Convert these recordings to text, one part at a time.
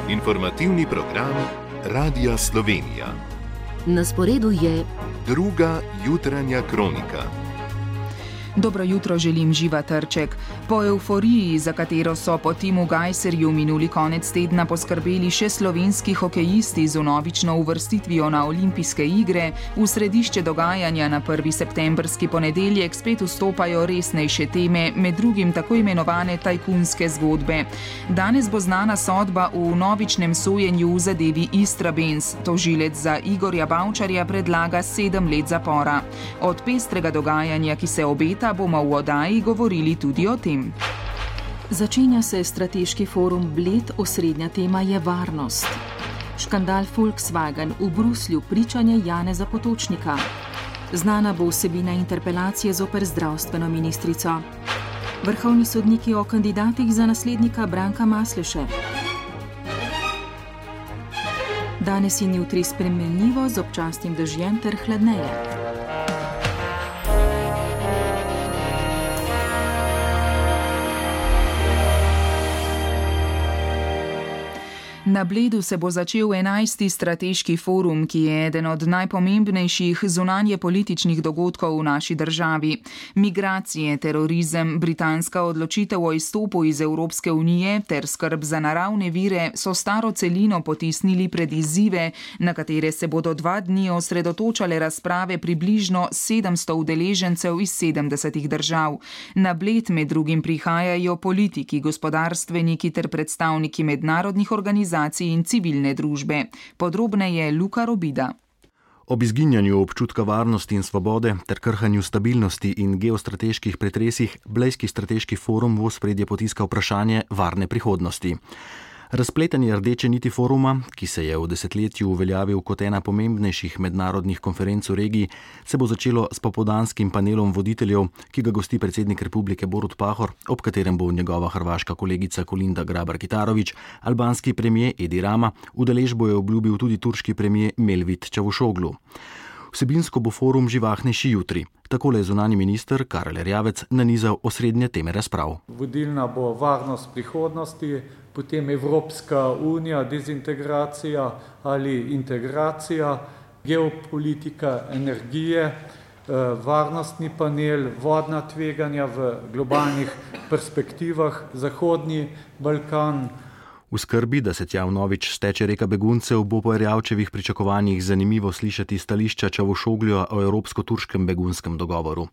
Informativni program Radia Slovenija. Na sporedu je Druga jutranja kronika. Dobro jutro želim, Živa Trček. Po evforiji, za katero so po Timu Gajserju minuli konec tedna poskrbeli še slovenski hokejisti z vnovično uvrstitvijo na olimpijske igre, v središče dogajanja na 1. septembrski ponedeljek spet vstopajo resnejše teme, med drugim tako imenovane tajkunske zgodbe. Danes bo znana sodba v vnovičnem sojenju v zadevi Istrabenz. Tožilec za Igorja Bavčarja predlaga 7 let zapora. Od pestrega dogajanja, ki se obeta, bomo v oddaji govorili tudi o tem. Začenja se strateški forum Bled, osrednja tema je varnost. Škandal Volkswagen, v Bruslju pričanje Janeza Potočnika. Znana bo vsebina interpelacije zoper zdravstveno ministrico. Vrhovni sodniki o kandidatih za naslednika Branka Masleše. Danes in jutri spremenljivo z občasnim dežjem ter hladneje. Na Bledu se bo začel 11. strateški forum, ki je eden od najpomembnejših zunanjepolitičnih dogodkov v naši državi. Migracije, terorizem, britanska odločitev o izstopu iz Evropske unije ter skrb za naravne vire so staro celino potisnili pred izzive, na katere se bodo 2 dni osredotočale razprave približno 700 udeležencev iz 70 držav. Na Bled med drugim prihajajo politiki, gospodarstveniki ter predstavniki mednarodnih organizacij in civilne družbe. Podrobneje Luka Robida. Ob izginjanju občutka varnosti in svobode ter krhanju stabilnosti in geostrateških pretresih Blejski strateški forum v ospredje potiska vprašanje varne prihodnosti. Razpletanje rdeče niti foruma, ki se je v desetletju uveljavil kot ena pomembnejših mednarodnih konferenc v regiji, se bo začelo s popoldanskim panelom voditeljev, ki ga gosti predsednik republike Borut Pahor, ob katerem bo njegova hrvaška kolegica Kolinda Grabar-Kitarović, albanski premijer Edi Rama, udeležbo je obljubil tudi turški premijer Melvit Čavuşoglu. Vsebinsko bo forum živahnejši jutri. Takole je zunanji minister Karel Erjavec nanizal osrednje teme razprav. Vodilna bo varnost prihodnosti, potem Evropska unija, dezintegracija ali integracija, geopolitika energije, varnostni panel, vodna tveganja v globalnih perspektivah, Zahodni Balkan. V skrbi, da se tja vnovič steče reka beguncev, bo po Erjavčevih pričakovanjih zanimivo slišati stališča Čavuşoglja o evropsko-turškem begunskem dogovoru.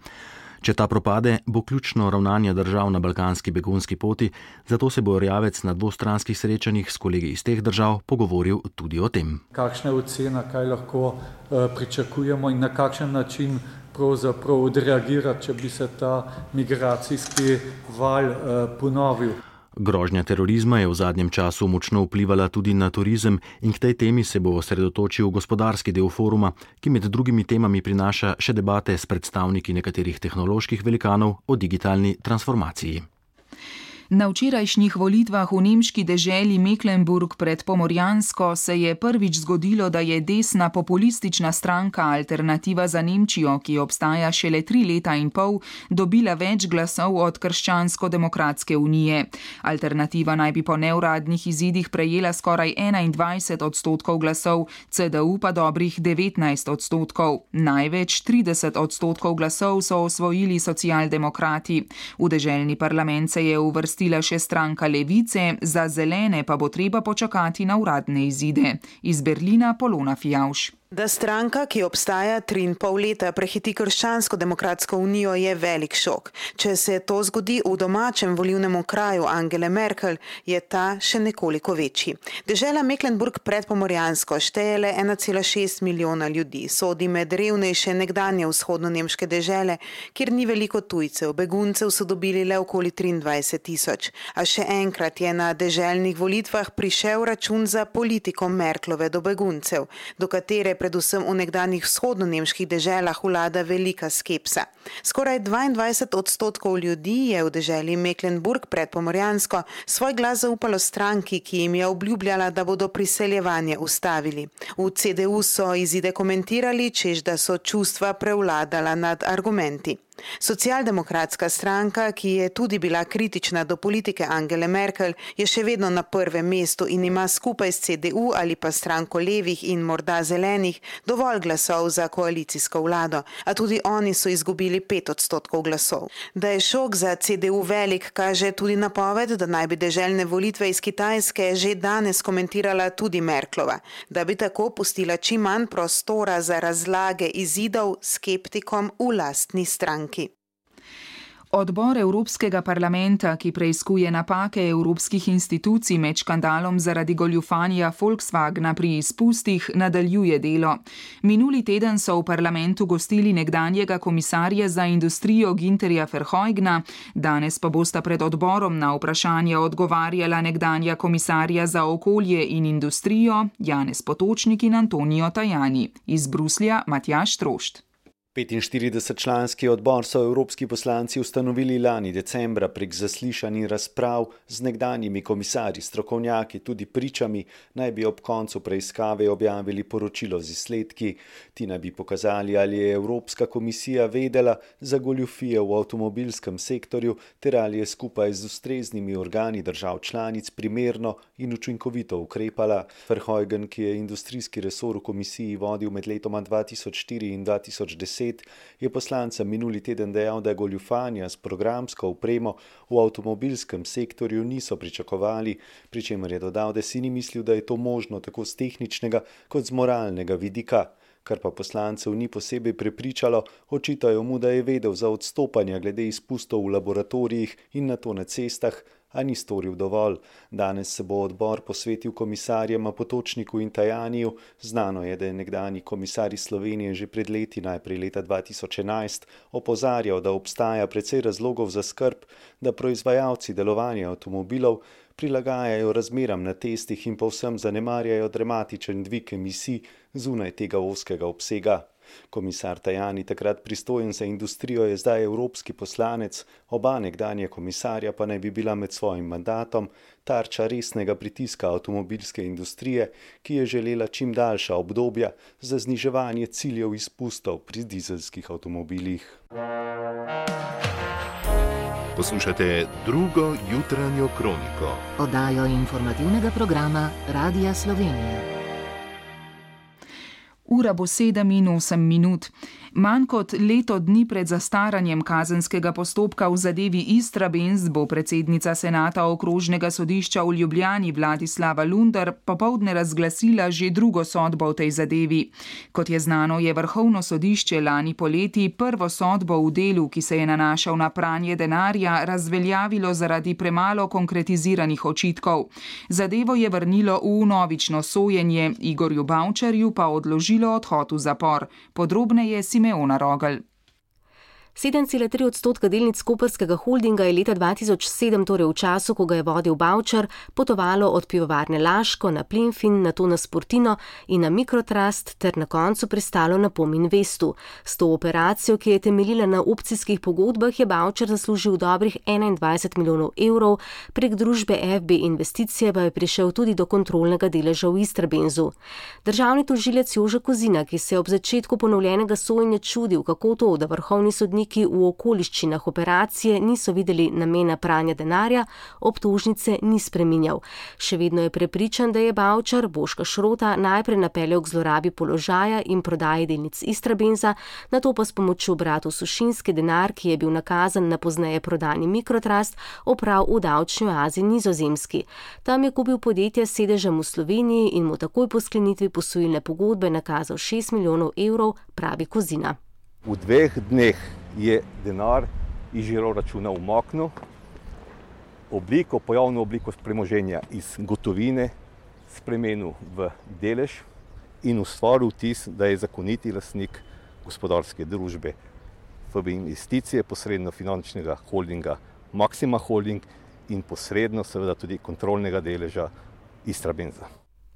Če ta propade, bo ključno ravnanje držav na balkanski begunski poti, zato se bo Erjavec na dvostranskih srečanjih s kolegi iz teh držav pogovoril tudi o tem. Kakšna je ocena, kaj lahko pričakujemo in na kakšen način pravzaprav odreagirati, če bi se ta migracijski val ponovil. Grožnja terorizma je v zadnjem času močno vplivala tudi na turizem in k tej temi se bo osredotočil gospodarski del foruma, ki med drugimi temami prinaša še debate s predstavniki nekaterih tehnoloških velikanov o digitalni transformaciji. Na včerajšnjih volitvah v nemški deželi Mecklenburg pred Pomorjansko se je prvič zgodilo, da je desna populistična stranka Alternativa za Nemčijo, ki obstaja šele 3 leta in pol, dobila več glasov od Krščansko-demokratske unije. Alternativa naj bi po neuradnih izidih prejela skoraj 21% glasov, CDU pa dobrih 19%. Največ 30% glasov so osvojili socialdemokrati. V deželni parlament se je uvrstila še stranka Levice, za zelene pa bo treba počakati na uradne izide. Iz Berlina Polona Fijavš. Da stranka, ki obstaja 3,5 leta, prehiti Krščansko-demokratsko unijo, je velik šok. Če se to zgodi v domačem volilnem okraju Angele Merkel, je ta še nekoliko večji. Dežela Mecklenburg pred Pomorjansko šteje le 1,6 milijona ljudi. Sodi med revnejše nekdanje vzhodno-nemške dežele, kjer ni veliko tujcev. Beguncev so dobili le okoli 23.000. A še enkrat je na deželnih volitvah prišel račun za politiko Merklove do beguncev, do katere predvsem v nekdanjih vzhodno-nemških deželah vlada velika skepsa. Skoraj 22% ljudi je v deželi Mecklenburg pred Pomorjansko svoj glas zaupalo stranki, ki jim je obljubljala, da bodo priseljevanje ustavili. V CDU so izide komentirali, češ da so čustva prevladala nad argumenti. Socialdemokratska stranka, ki je tudi bila kritična do politike Angele Merkel, je še vedno na prvem mestu in ima skupaj s CDU ali pa stranko levih in morda zelenih dovolj glasov za koalicijsko vlado, a tudi oni so izgubili 5% glasov. Da je šok za CDU velik, kaže tudi napoved, da naj bi deželne volitve iz Kitajske že danes komentirala tudi Merklova, da bi tako pustila čim manj prostora za razlage izidov skeptikom v lastni stranki. Odbor Evropskega parlamenta, ki preiskuje napake evropskih institucij med škandalom zaradi goljufanja Volkswagna pri izpustih, nadaljuje delo. Minuli teden so v parlamentu gostili nekdanjega komisarja za industrijo Günterja Verheugena, danes pa bosta pred odborom na vprašanja odgovarjala nekdanja komisarja za okolje in industrijo Janez Potočnik in Antonio Tajani. Iz Bruslja Matjaž Trošt. 45-članski odbor so evropski poslanci ustanovili lani decembra prek zaslišanj in razprav z nekdanjimi komisarji, strokovnjaki, tudi pričami, naj bi ob koncu preiskave objavili poročilo z izsledki. Ti naj bi pokazali, ali je Evropska komisija vedela za goljufije v avtomobilskem sektorju ter ali je skupaj z ustreznimi organi držav članic primerno in učinkovito ukrepala. Verheugen, ki je industrijski resor v komisiji vodil med letoma 2004 in 2010, je poslancem minuli teden dejal, da goljufanja s programsko opremo v avtomobilskem sektorju niso pričakovali, pri čemer je dodal, da si ni mislil, da je to možno tako z tehničnega kot z moralnega vidika. Kar pa poslancev ni posebej prepričalo, očitajo mu, da je vedel za odstopanja glede izpustov v laboratorijih in nato na cestah, a ni storil dovolj. Danes se bo odbor posvetil komisarjema Potočniku in Tajaniju. Znano je, da je nekdanji komisar iz Slovenije že pred leti, najprej leta 2011, opozarjal, da obstaja precej razlogov za skrb, da proizvajalci delovanja avtomobilov prilagajajo razmeram na testih in povsem zanemarjajo dramatičen dvig emisij zunaj tega ozkega obsega. Komisar Tajani, takrat pristojen za industrijo, je zdaj evropski poslanec, oba nekdanja komisarja pa naj bi bila med svojim mandatom tarča resnega pritiska avtomobilske industrije, ki je želela čim daljša obdobja za zniževanje ciljev izpustov pri dizelskih avtomobilih. Poslušate drugo jutranjo kroniko. Oddajo informativnega programa Radia Slovenija. Ura bo 7:08. Manj kot leto dni pred zastaranjem kazenskega postopka v zadevi Istrabenz bo predsednica senata okrožnega sodišča v Ljubljani Vladislava Lunder popoldne razglasila že drugo sodbo v tej zadevi. Kot je znano, je Vrhovno sodišče lani poleti prvo sodbo v delu, ki se je nanašal na pranje denarja, razveljavilo zaradi premalo konkretiziranih očitkov. Zadevo je vrnilo v vnovično sojenje, Igorju Bavčarju pa odložilo odhod v zapor. Podrobneje Simeona Rogelj. 7,3% delnic koprskega holdinga je leta 2007, torej v času, ko ga je vodil Bavčar, potovalo od pivovarne Laško na Plinfin, nato na Sportino in na Mikrotrust ter na koncu pristalo na POM Investu. S to operacijo, ki je temeljila na opcijskih pogodbah, je Bavčar zaslužil dobrih 21 milijonov evrov, prek družbe FB Investicije pa je prišel tudi do kontrolnega deleža v Istrabenzu. Državni tožilec Jože Kozina, ki se je ob začetku ponovljenega sojenja čudil, kako to, da vrhovni sodnik v okoliščinah operacije niso videli namena pranja denarja, obtožnice ni spreminjal. Še vedno je prepričan, da je Bavčar Boška Šrota najprej napeljal k zlorabi položaja in prodaji delnic Istrabenza, nato pa s pomočjo bratov Sušinski denar, ki je bil nakazan na pozneje prodani Mikrotrust, opral v davčni oazi Nizozemski. Tam je kupil podjetje s sedežem v Sloveniji in mu takoj po sklenitvi posojilne pogodbe nakazal 6 milijonov evrov, pravi Kozina. V 2 dneh je denar iz žiro računa umaknil, pojavno obliko premoženja iz gotovine spremenil v delež in ustvaril vtis, da je zakoniti lastnik gospodarske družbe FB Investicije, posredno finančnega holdinga Maxima Holding in posredno seveda tudi kontrolnega deleža Istrabenza.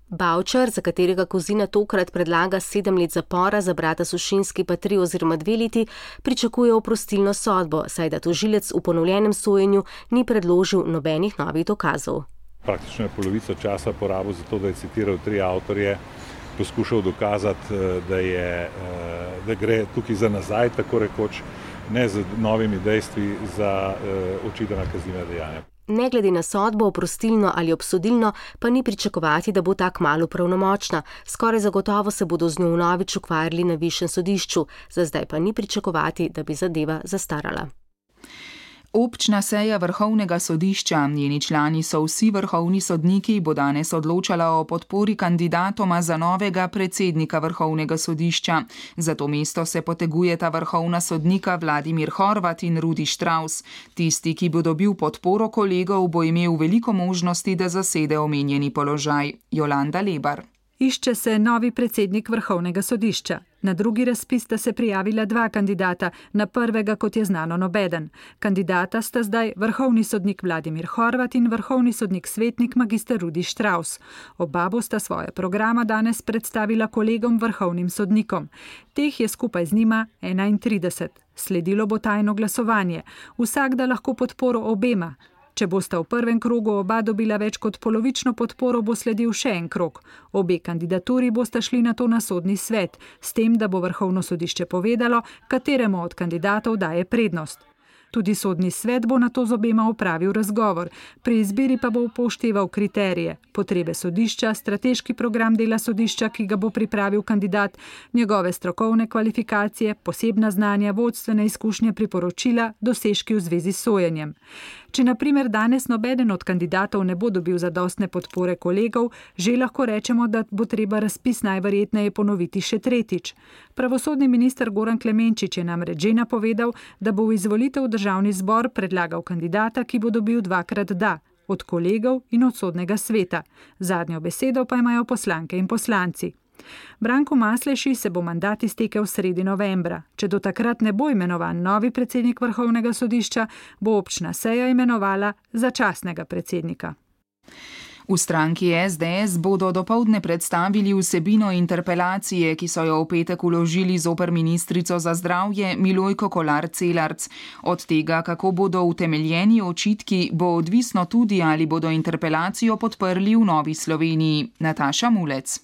Bavčar, za katerega Kozina tokrat predlaga 7 let zapora, za brata Sušinski pa 3 oziroma 2 leti, pričakuje oprostilno sodbo, saj da tožilec v ponovljenem sojenju ni predložil nobenih novih dokazov. Praktično je polovico časa porabil za to, da je citiral 3 avtorje, poskušal dokazati, da gre tukaj za nazaj, tako rekoč, ne z novimi dejstvi za očitana kazniva dejanja. Ne glede na sodbo, oprostilno ali obsodilno, pa ni pričakovati, da bo ta kmalu pravnomočna. Skoraj zagotovo se bodo z njo vnovič ukvarjali na višjem sodišču, za zdaj pa ni pričakovati, da bi zadeva zastarala. Občna seja Vrhovnega sodišča, njeni člani so vsi vrhovni sodniki, bo danes odločala o podpori kandidatoma za novega predsednika Vrhovnega sodišča. Za to mesto se potegujeta vrhovna sodnika Vladimir Horvat in Rudi Štravs. Tisti, ki bo dobil podporo kolegov, bo imel veliko možnosti, da zasede omenjeni položaj. Jolanda Lebar. Išče se novi predsednik Vrhovnega sodišča. Na drugi razpis sta se prijavila 2 kandidata, na prvega, kot je znano, nobeden. Kandidata sta zdaj vrhovni sodnik Vladimir Horvat in vrhovni sodnik svetnik magister Rudi Štravs. Oba bosta svoje programa danes predstavila kolegom vrhovnim sodnikom. Teh je skupaj z njima 31. Sledilo bo tajno glasovanje. Vsak da lahko podporo obema. Če bosta v prvem krogu oba dobila več kot polovično podporo, bo sledil še en krog. Obe kandidaturi bosta šli nato na sodni svet, s tem, da bo Vrhovno sodišče povedalo, kateremu od kandidatov daje prednost. Tudi sodni svet bo nato z obema opravil razgovor. Pri izbiri pa bo upošteval kriterije, potrebe sodišča, strateški program dela sodišča, ki ga bo pripravil kandidat, njegove strokovne kvalifikacije, posebna znanja, vodstvene izkušnje, priporočila, dosežki v zvezi s sojenjem. Če na primer danes nobeden od kandidatov ne bo dobil zadostne podpore kolegov, že lahko rečemo, da bo treba razpis najverjetneje ponoviti še tretjič. Pravosodni minister Goran Klemenčič je namreč že napovedal, da bo v izvolitev v državni zbor predlagal kandidata, ki bo dobil 2-krat da, od kolegov in od sodnega sveta. Zadnjo besedo pa imajo poslanke in poslanci. Branku Masleši se bo mandat iztekel sredi novembra. Če do takrat ne bo imenovan novi predsednik Vrhovnega sodišča, bo občna seja imenovala začasnega predsednika. V stranki SDS bodo dopoldne predstavili vsebino interpelacije, ki so jo v petek vložili zoper ministrico za zdravje Milojko Kolar Celarc. Od tega, kako bodo utemeljeni očitki, bo odvisno tudi, ali bodo interpelacijo podprli v Novi Sloveniji. Nataša Mulec.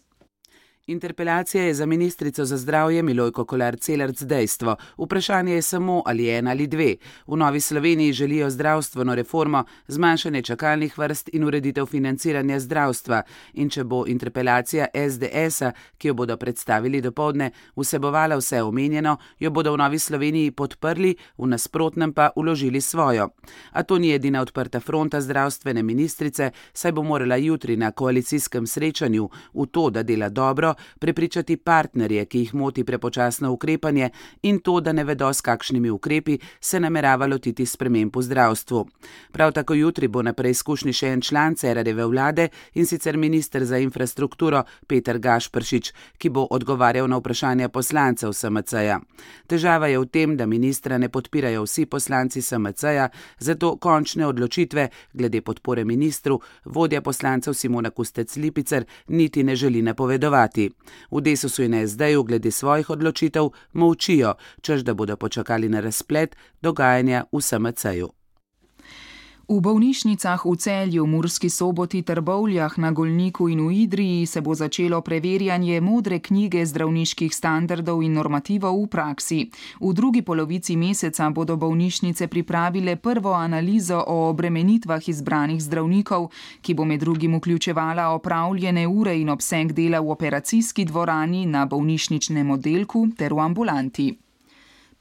Interpelacija je za ministrico za zdravje Milojko Kolar Celarc dejstvo. Vprašanje je samo, ali 1 ali 2. V Novi Sloveniji želijo zdravstveno reformo, zmanjšanje čakalnih vrst in ureditev financiranja zdravstva. In če bo interpelacija SDS-a, ki jo bodo predstavili dopoldne, vsebovala vse omenjeno, jo bodo v Novi Sloveniji podprli, v nasprotnem pa vložili svojo. A to ni edina odprta fronta zdravstvene ministrice, saj bo morala jutri na koalicijskem srečanju v to, da dela dobro, prepričati partnerje, ki jih moti prepočasno ukrepanje in to, da ne vedo, s kakšnimi ukrepi se namerava lotiti sprememb v zdravstvu. Prav tako jutri bo na preizkušnji še en član Cerarjeve vlade, in sicer minister za infrastrukturo Peter Gašperšič, ki bo odgovarjal na vprašanja poslancev SMC-ja. Težava je v tem, da ministra ne podpirajo vsi poslanci SMC-ja, zato končne odločitve glede podpore ministru vodja poslancev Simona Kustec Lipicer niti ne želi napovedovati. V Desusu in SD-ju glede svojih odločitev molčijo, češ da bodo počakali na razplet dogajanja v SMC-ju. V bolnišnicah v Celju, Murski Soboti, Trbovljah, na Golniku in v Idriji se bo začelo preverjanje modre knjige zdravniških standardov in normativov v praksi. V drugi polovici meseca bodo bolnišnice pripravile prvo analizo o obremenitvah izbranih zdravnikov, ki bo med drugim vključevala opravljene ure in obseg dela v operacijski dvorani, na bolnišničnem oddelku ter v ambulanti.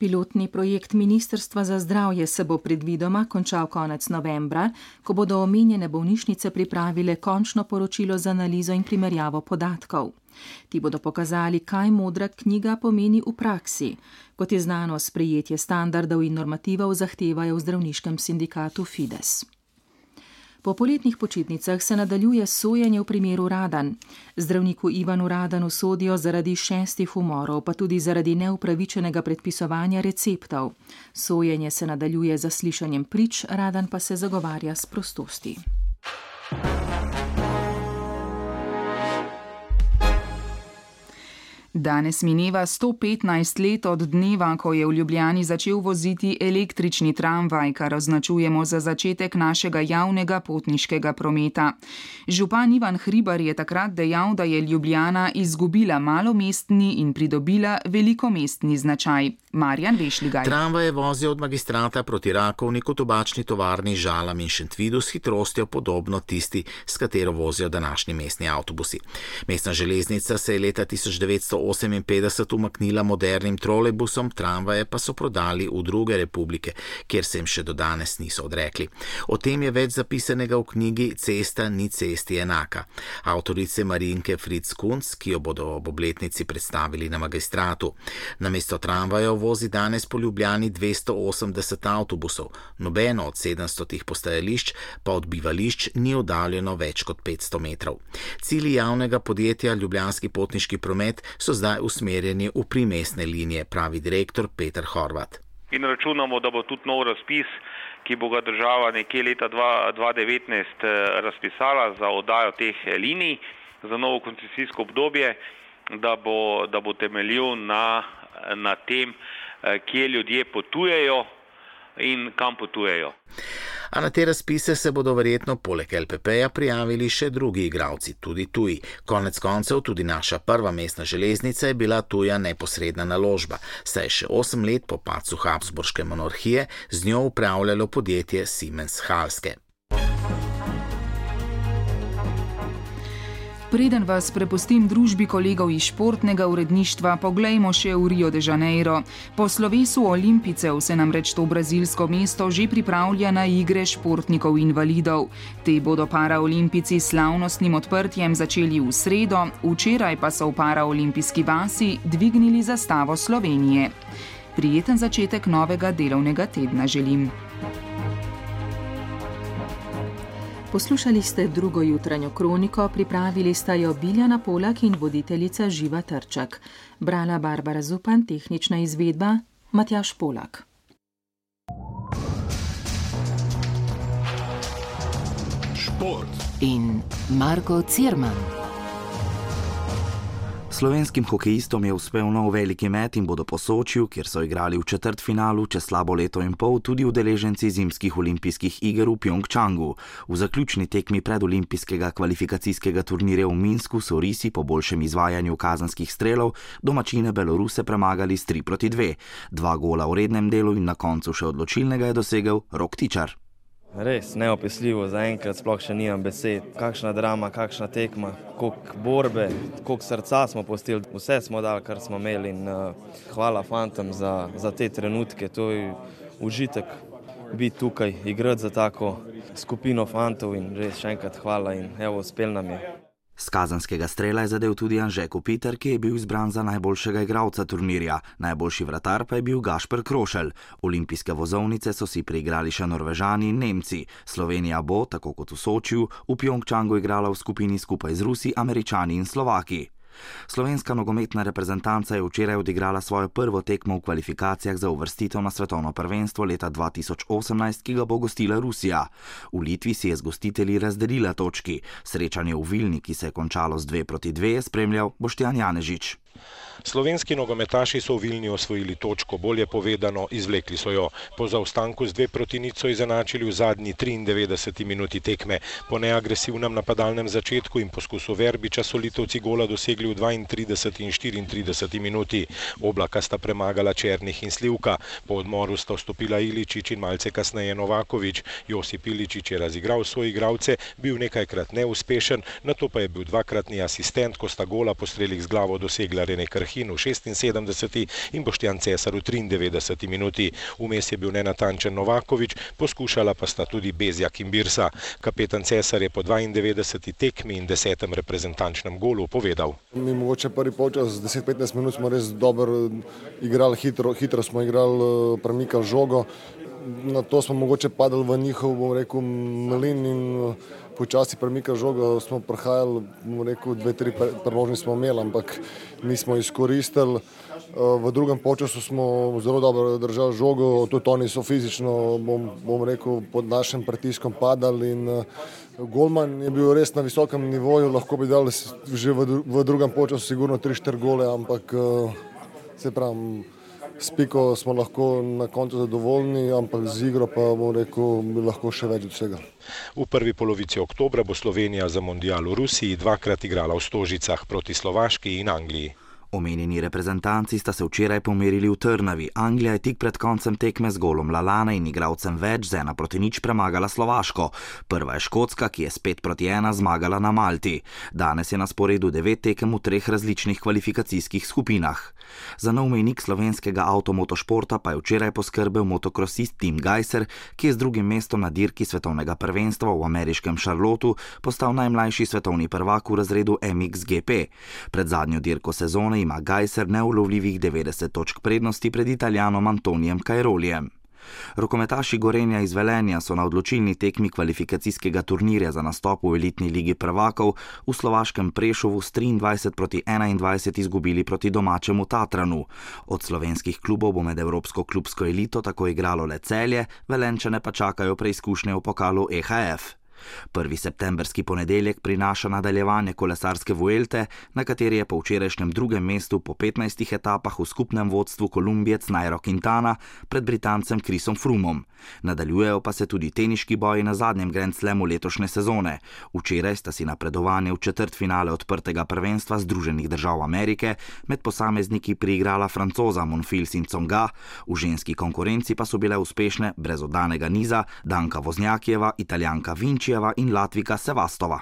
Pilotni projekt Ministrstva za zdravje se bo predvidoma končal konec novembra, ko bodo omenjene bolnišnice pripravile končno poročilo z analizo in primerjavo podatkov. Ti bodo pokazali, kaj modra knjiga pomeni v praksi. Kot je znano, sprejetje standardov in normativov zahtevajo v zdravniškem sindikatu Fides. Po poletnih počitnicah se nadaljuje sojenje v primeru Radan. Zdravniku Ivanu Radanu sodijo zaradi 6 umorov, pa tudi zaradi neupravičenega predpisovanja receptov. Sojenje se nadaljuje z zaslišanjem prič, Radan pa se zagovarja s prostosti. Danes mineva 115 let od dneva, ko je v Ljubljani začel voziti električni tramvaj, kar označujemo za začetek našega javnega potniškega prometa. Župan Ivan Hribar je takrat dejal, da je Ljubljana izgubila malomestni in pridobila velikomestni značaj. Marjan Vešligaj. Tramvaje vozijo od Magistrata proti Rakovniku, Tobačni tovarni, Žalam in Šentvidu s hitrostjo podobno tisti, s katero vozijo današnji mestni avtobusi. Mestna železnica se je leta 1958 umaknila modernim trolejbusom, tramvaje pa so prodali v druge republike, kjer se jim še do danes niso odrekli. O tem je več zapisanega v knjigi Cesta ni cesti enaka. Avtorice Marinke Fritz Kunc, ki jo bodo ob obletnici predstavili na Magistratu. Namesto tramvajev vozi danes po Ljubljani 280 avtobusov, nobeno od 700 postajališč pa od bivališč ni oddaljeno več kot 500 metrov. Cilji javnega podjetja Ljubljanski potniški promet so zdaj usmerjeni v primestne linije, pravi direktor Peter Horvat. In računamo, da bo tudi nov razpis, ki bo ga država nekje leta 2019 razpisala za oddajo teh linij za novo koncesijsko obdobje, da bo temeljil na tem, kje ljudje potujejo in kam potujejo. A na te razpise se bodo verjetno poleg LPP-ja prijavili še drugi igralci, tudi tuji. Konec koncev tudi naša prva mestna železnica je bila tuja neposredna naložba, saj je še 8 let po padcu Habsburške monarhije z njo upravljalo podjetje Siemens Halske. Preden vas prepustim družbi kolegov iz športnega uredništva, poglejmo še v Rio de Janeiro. Po slovesu olimpijcev se namreč to brazilsko mesto že pripravlja na igre športnikov invalidov. Te bodo paraolimpijci s slavnostnim odprtjem začeli v sredo, včeraj pa so v paraolimpijski vasi dvignili zastavo Slovenije. Prijeten začetek novega delovnega tedna želim. Poslušali ste drugo jutranjo kroniko, pripravili sta jo Biljana Polak in voditeljica Živa Trček. Brala Barbara Zupan, tehnična izvedba Matjaž Polak. Šport in Marko Cirman. Slovenskim hokejistom je uspel nov veliki met in bodo po Sočiju, kjer so igrali v četrtfinalu čez slabo leto in pol, tudi udeleženci zimskih olimpijskih iger v Pjongčangu. V zaključni tekmi predolimpijskega kvalifikacijskega turnirja v Minsku so risi po boljšem izvajanju kazenskih strelov domačine Beloruse premagali s 3-2. 2 gola v rednem delu in na koncu še odločilnega je dosegel Rok Tičar. Res neopisljivo, zaenkrat sploh še nimam besed. Kakšna drama, kakšna tekma, koliko borbe, koliko srca smo pustili. Vse smo dali, kar smo imeli in hvala fantom za te trenutke. To je užitek biti tukaj, igrati za tako skupino fantov in res še enkrat hvala in evo, uspel nam je. Z kazenskega strela je zadel tudi Anže Kopitar, ki je bil izbran za najboljšega igralca turnirja. Najboljši vratar pa je bil Gašper Krošelj. Olimpijske vozovnice so si priigrali še Norvežani in Nemci. Slovenija bo, tako kot v Sočiju, v Pjongčangu igrala v skupini skupaj z Rusi, Američani in Slovaki. Slovenska nogometna reprezentanca je včeraj odigrala svojo prvo tekmo v kvalifikacijah za uvrstitev na svetovno prvenstvo leta 2018, ki ga bo gostila Rusija. V Litvi si je z gostitelji razdelila točki. Srečanje v Vilni, ki se je končalo z 2-2, je spremljal Boštjan Janežič. Slovenski nogometaši so v Vilni osvojili točko, bolje povedano, izvlekli so jo. Po zaostanku z 2-0 so izenačili v zadnji 93 minuti tekme. Po neagresivnem napadalnem začetku in poskusu Verbiča so Litovci gola dosegli v 32 in 34 minuti. Oblaka sta premagala Černih in Slivka. Po odmoru sta vstopila Iličić in malce kasneje Novaković. Josip Iličić je razigral svoje igralce, bil nekajkrat neuspešen, nato pa je bil dvakratni asistent, ko sta gola po strelih z glavo dosegla Rene Krhin v 76 in Boštjan Cesar v 93 minuti. Vmes je bil nenatančen Novaković, poskušala pa sta tudi Bezjak in Birsa. Kapetan Cesar je po 92 tekmi in 10. reprezentančnem golu povedal. Mi mogoče prvi polčas, 10-15 minut smo res dobro igrali, hitro smo igrali, premikali žogo. Na to smo mogoče padali v njihov, bom rekel, mlin in počasi premikali žogo, smo prihajali, bom rekel, 2-3 priložnosti smo imeli, ampak nismo izkoristili. V drugem polčasu smo zelo dobro držali žogo, tudi oni so fizično, bom rekel, pod našim pritiskom padali in golman je bil res na visokem nivoju, lahko bi dali že v drugem polčasu sigurno 3-4 gole, ampak se pravim, s piko smo lahko na koncu zadovoljni, ampak z igro pa bom rekel, bi lahko še več od vsega. V prvi polovici oktobra bo Slovenija za mondial v Rusiji 2-krat igrala v Stožicah proti Slovaški in Angliji. Omenjeni reprezentanci sta se včeraj pomerili v Trnavi. Anglija je tik pred koncem tekme z golom Lalana in igralcem več z 1-0 premagala Slovaško. Prva je Škotska, ki je s 5-1 zmagala na Malti. Danes je na sporedu 9 tekem v 3 različnih kvalifikacijskih skupinah. Za nov mejnik slovenskega avtomotošporta pa je včeraj poskrbel motokrosist Tim Gajser, ki je z drugim mestom na dirki svetovnega prvenstva v ameriškem Charlotteu postal najmlajši svetovni prvak v razredu MXGP. Pred zadnjo dirko sezone ima Gajser neulovljivih 90 točk prednosti pred Italijanom Antonijem Cairolijem. Rokometaši Gorenja iz Velenja so na odločilni tekmi kvalifikacijskega turnirja za nastop v elitni ligi prvakov v slovaškem Prešovu s 23-21 izgubili proti domačemu Tatranu. Od slovenskih klubov bo med evropsko klubsko elito tako igralo le Celje, Velenčane pa čakajo preizkušnje v pokalu EHF. 1. septemberski ponedeljek prinaša nadaljevanje kolesarske Vuelte, na kateri je po včerajšnjem drugem mestu po 15 etapah v skupnem vodstvu Kolumbijec Nairo Quintana pred Britancem Chrisom Froomom. Nadaljujejo pa se tudi teniški boji na zadnjem Grand Slamu letošnje sezone. Včeraj sta si napredovanje v četrtfinale odprtega prvenstva Združenih držav Amerike med posamezniki priigrala Francoza Monfils in Tsonga, v ženski konkurenci pa so bile uspešne brez oddanega niza Danka Voznjakijeva, Italijanka Vinčijeva in Latvika Sevastova.